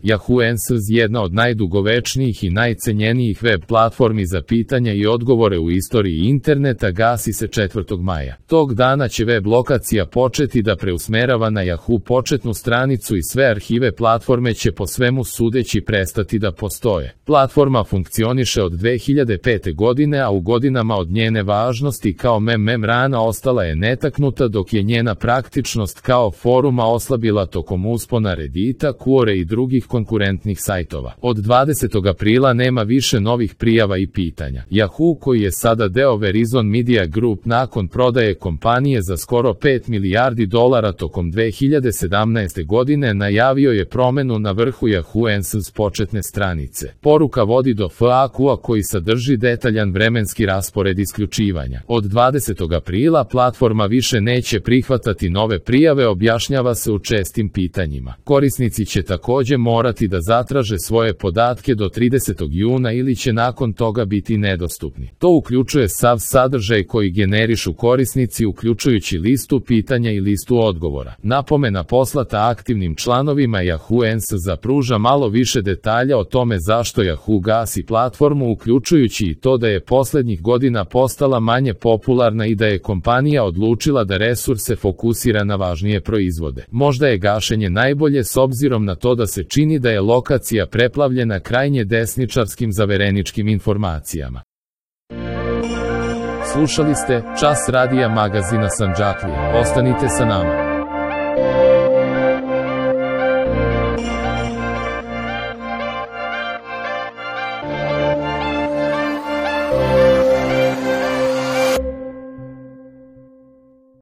Yahoo Answers, jedna od najdugovečnijih i najcenjenijih web platformi za pitanja i odgovore u istoriji interneta, gasi se 4. maja. Tog dana će web lokacija početi da preusmerava na Yahoo početnu stranicu i sve arhive platforme će po svemu sudeći prestati da postoje. Platforma funkcioniše od 2005. godine, a u godinama od njene važnosti kao memrana ostala je netaknuta, dok je njena praktičnost kao foruma oslabila tokom uspona Reddita, Quora i drugih konkurentnih sajtova. Od 20. aprila nema više novih prijava i pitanja. Yahoo, koji je sada deo Verizon Media Group, nakon prodaje kompanije za skoro $5 milijardi tokom 2017. godine, najavio je promenu na vrhu Yahoo Answers početne stranice. Poruka vodi do FAQ-a koji sadrži detaljan vremenski raspored isključivanja. Od 20. aprila platforma više neće prihvatati nove prijave, objašnjava se u čestim pitanjima. Korisnici će takođe morati da zatraže svoje podatke do 30. juna ili će nakon toga biti nedostupni. To uključuje sav sadržaj koji generišu korisnici, uključujući listu pitanja i listu odgovora. Napomena poslata aktivnim članovima Yahoo Answers pruža malo više detalja o tome zašto Yahoo gasi platformu, uključujući i to da je poslednjih godina postala manje popularna i da je kompanija odlučila da resurse fokusira na važnije proizvode. Možda je gašenje najbolje s obzirom na to da se čini da je lokacija preplavljena krajnje desničarskim zavereničkim informacijama. Slušali ste Čas radija magazina Sandžaklija. Ostanite sa nama.